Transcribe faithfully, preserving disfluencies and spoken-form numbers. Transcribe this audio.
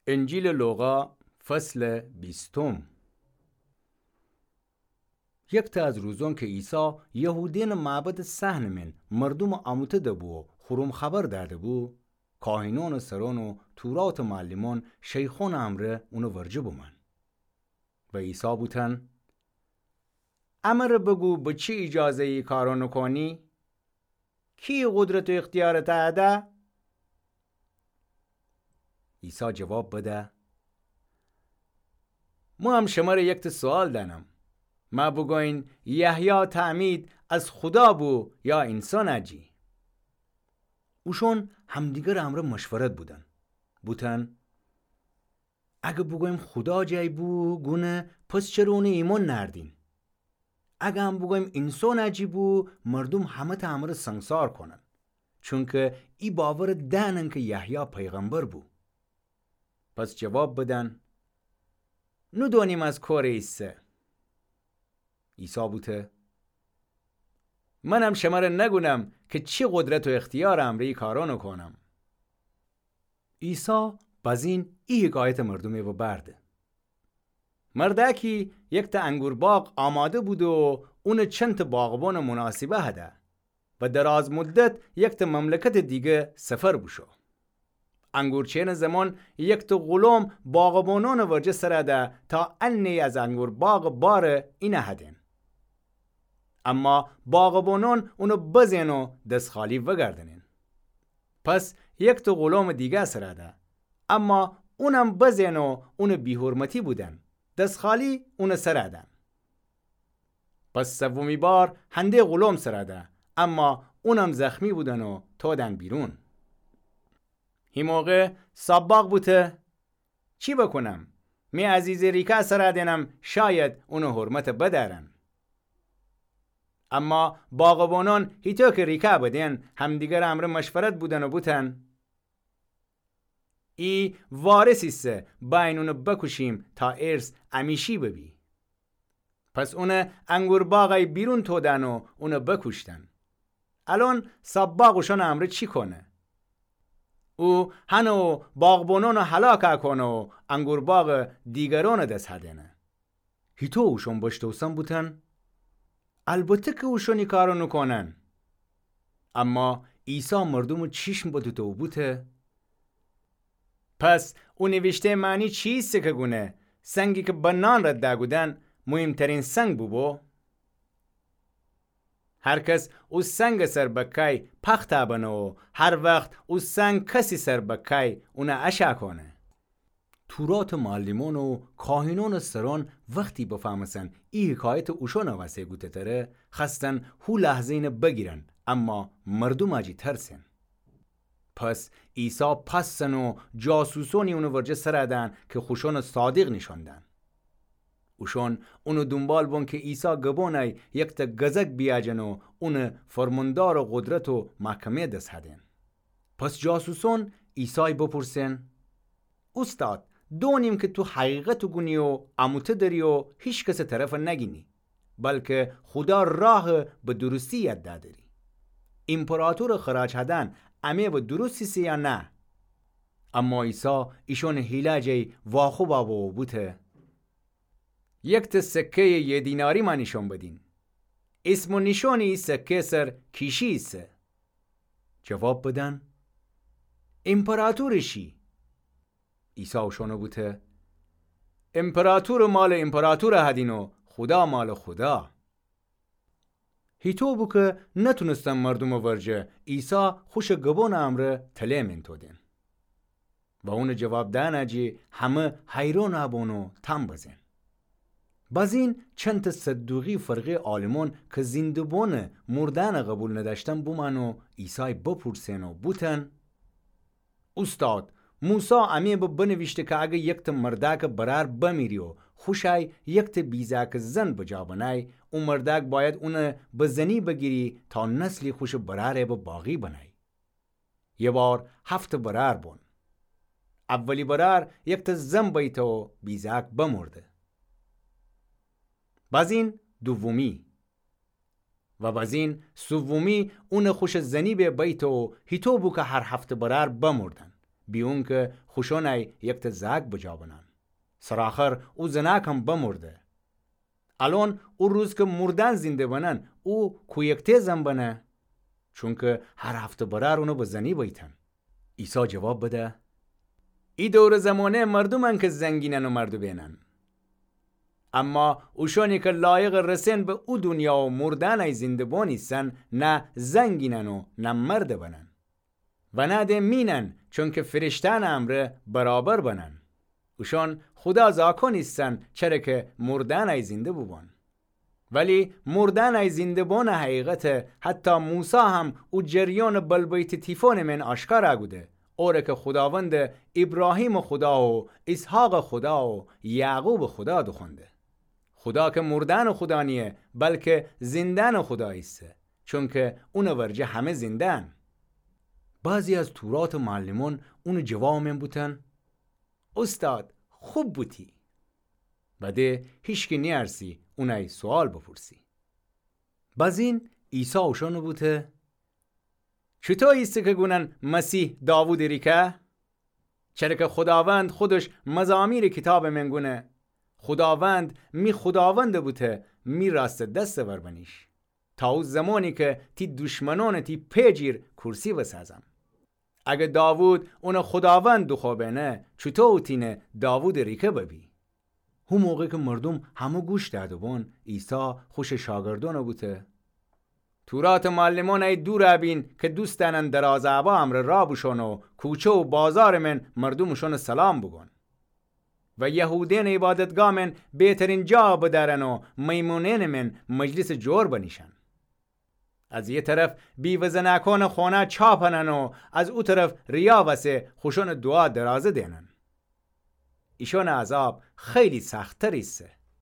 انجیلٚ لوقا، فصلٚ بیستم. یکتأ از روزأن کی عیسی یهودیأنٚ معبدٚ صحنٚ مئن مردومٚ آموته‌ده بو و خورم خبر دأده بو، کاهینأنٚ سرأن و توراتٚ معلمأن شیخأنٚ امرأ اونٚ ورجه بومأن. و عیسی بوتأن: امره بگو به چی ایجازه‌یی ای کارأنٚ کونی؟ کی قدرت و اختیارٚ تأ ده؟ عیسی جواب بده: مو هم شمره یکتأ سوال دأنم. مأ بوگوین یحیی تعمید از خودا بو یا اینسان اجی؟ اوشأن همدیگرٚ امرأ مشورت بودن، بوتن: اگه بوگویم خودا جی بو گونه، پس چره اونٚ ایمأن نأردیم؟ اگه هم بوگویم اینسان اجی بو، مردوم همه‌تأ امره سنگسار کونن، چونکه ای باور دأنن کی یحیی پیغمبر بو. پس جواب بدن: نودونیم از کوره ایسه. عیسی بوته: منم شمره نگونم کی چی قدرت و اختیارٚ امرأ ای کارأنٚ کونم. عیسی بزین ای حکایتٚ مردومٚ ببرده: مردأکی یکتأ انگور باغ آماده بوده و اونٚ چنتأ باغبانٚ مناسبه هده و دراز مدت یکتأ مملکتٚ دیگه سفر بوشو. انگورچینٚ زمان یکتأ غلام باغبانأنٚ ورجه سر ده تا انه‌یی از انگور باغٚ بار اینه هدین. اما باغبانأن اونٚ بزین و دس‌خالی وگردنین. پس یکتأ غلامٚ دیگه سر ده، اما اونم بزین و اونٚ بی‌حرمتی بودن، دس‌خالی اونٚ سر دن. پس سومی بار هنده غلام سر ده، اما اونم زخمی بودن و تودن بیرون. هی موقع صاب‌باغ بوته: چی بکونم؟ می عزیزٚ ریکه سر دینم، شاید اونٚ حرمت بدأرن. اما باغبانأن هیتو کی ریکه بدین، همدیگرٚ امرأ مشورت بودن و بوتن: ای وارث ایسه، بأیین اونٚ بکوشیم تا ارث امیشی ببی. پس اونٚ انگور باغی بیرون تودن و اونٚ بکوشتن. الأن صاب‌باغ اوشأنٚ امرأ چی کونه؟ او هنه و باغبانأنٚ هلاک کونه و انگور باغٚ دیگرأنٚ دس هدینه. هیتو اوشأن بشتوسن بوتن: البته کی اوشأن ای کارأنٚ کونن. اما عیسی مردومٚ چیشم بدوته و بوته: پس او نیویشته معنی چی ایسه کی گونه، سنگی کی به نان رد دأگودن، موهیم‌ترین سنگ بوبو؟ هر کس او سنگٚ سر بکای، پختأ بنه و هر وخت او سنگ کسی سر بکای، اونه اشأ کونه. توراتٚ معلمأن و کاهینأنٚ سرأن وختی بفهمستن ای حکایت اوشأنٚ وسه گوته تره، خوأستن هو لحظه اینه بگیرن، اما مردوم جی ترسین. پس عیسی پس زن و جاسوسأنی اونٚ ورجه سر دن کی خوشأنٚ صادق نیشأن دن. اوشأن اونٚ دونبال بون کی عیسی گبونی یکتأ گزک بیأجن و اونٚ فرماندارٚ قدرت و محکمه دس هدین. پس جاسوسأن عیسی بپورسن: اوستاد، دونیم کی تو حقیقت گونی و اموته دری و هیکسٚ طرف نگینی، بلکی خودا راه به درستی یاد دأری. ایمپراطورٚ خراج هدن امه به درستی ایسه یا نه؟ اما عیسی ایشأنٚ حیله جی واخوب بو و بوته: یکتأ سکه‌یٚ یه دیناری مأ نیشأن بدین. اسم و نیشأنٚ ای سکه سر کیشی ایسه؟ جواب بدن: ایمپراطورٚ شی. عیسی اوشأنٚ بوته: ایمپراطورٚ مالٚ ایمپراطور هدین و خودا مالٚ خودا. هیطو بو کی نتونستن مردومٚ ورجه عیسی خوشٚ گبونٚ امرأ تله مین تودین. و اونٚ جواب دأنٚ جی همه حیرانٚ بون و تام بزین. بزین چندتأ صدوقی فرقه‌یٚ عالمون کی زینده بونٚ مردأنٚ قبول ندأشتن بومأن و عیسای بپورسین و بوتن: اوستاد، موسی امه به بنویشته کی اگر یکتأ مردأکٚ برأر بمیری و خوشأی یکتأ بیجأکٚ زن بجا بنأی، او مردأک بأید اونٚ به زنی بگیری تا نسلی خوشٚ برأرٚ به باقی بنأی. یه بار هفتٚ برأر بون. اولی برأر یکتأ زن بیته و بیجأک بمرده. بزین دومی. و بزین سومی اونٚ خوشٚ زنی به بیته و هیطو بو کی هر هفتٚ برأر بمردن. بیون که خوشانٚ یکته زأک بجا بنن. سرآخر او زنأکم بمرده. الأن او روز که مردأن زنده بنن، او کویکته زن بنه؟ چونکه هر هفته برأر اونٚ به زنی بیتن. عیسی جواب بده: ای دورٚ زمانه مردومأن که زنگینن و مردٚ بینن. اما اوشأنی که لایقٚ رسین به او دونیا و مردأنٚ زنده بون ایسن، نه زنگینن و نه مردٚ بنن. و نه ده مینن، چونکه فرشته‌أنٚ امرأ برابر بنن. اوشأن خودا زاکون ایسن، چره که مردأنٚ زنده بوبون. ولی مردأنٚ زنده بونٚ حقیقت حتی موسی هم او جریانٚ بلبیتٚ تیفونٚ من آشکارا کوده، اوره که خوداوند ایبراهیمٚ خودا و ایسحاقٚ خودا و یعقوبٚ خودا دوخوأنده. خودا که مردأنٚ خودا نییه، بلکه زنده‌أنٚ خودا ایسه، چونکه اونٚ ورجه همه زنده‌أن. بعضی از توراتٚ معلمأن اونٚ جوابٚ من بوتن: اوستاد، خوب بوتی. و ده هیچکی نیأرسی اونٚ سوال بپرسی. بزین عیسی اوشأنٚ بوته: چوطو ایسه که گونن مسیح داوودٚ ریکه؟ چره که خوداوند خودش مزامیرٚ کیتابٚ من گونه: خوداوند، می خوداوندٚ بوته، می راستٚ دستٚ ور بنیش، تا او زمانی که تی دشمنأنٚ تی پی جیر کورسی بسازم. اگه داوود اونٚ خوداوند دوخوأ بینه، چوطو او تینه داوودٚ ریکه ببی؟ هو موقع که مردوم همه گوش دأده بون، عیسی خوشٚ شاگردأنٚ بوته: توراتٚ معلمأن ای دورا بین که دوست دأنن درازٚ ابا امرأ راه بوشون و کوچه و بازارٚ من مردوم اوشأنٚ سلام بوگون. و یهودأنٚ عبادتگاه من بهترین جا بدأرن و میمونأنٚ من مجلسٚ جور بنیشن. از یه طرف بیوه زنأکأنٚ خونه چا پنن و از او طرف ریا وسه خوشأنٚ دوعا درازه دینن. ایشأنٚ عذاب خیلی سخت‌تر ایسه.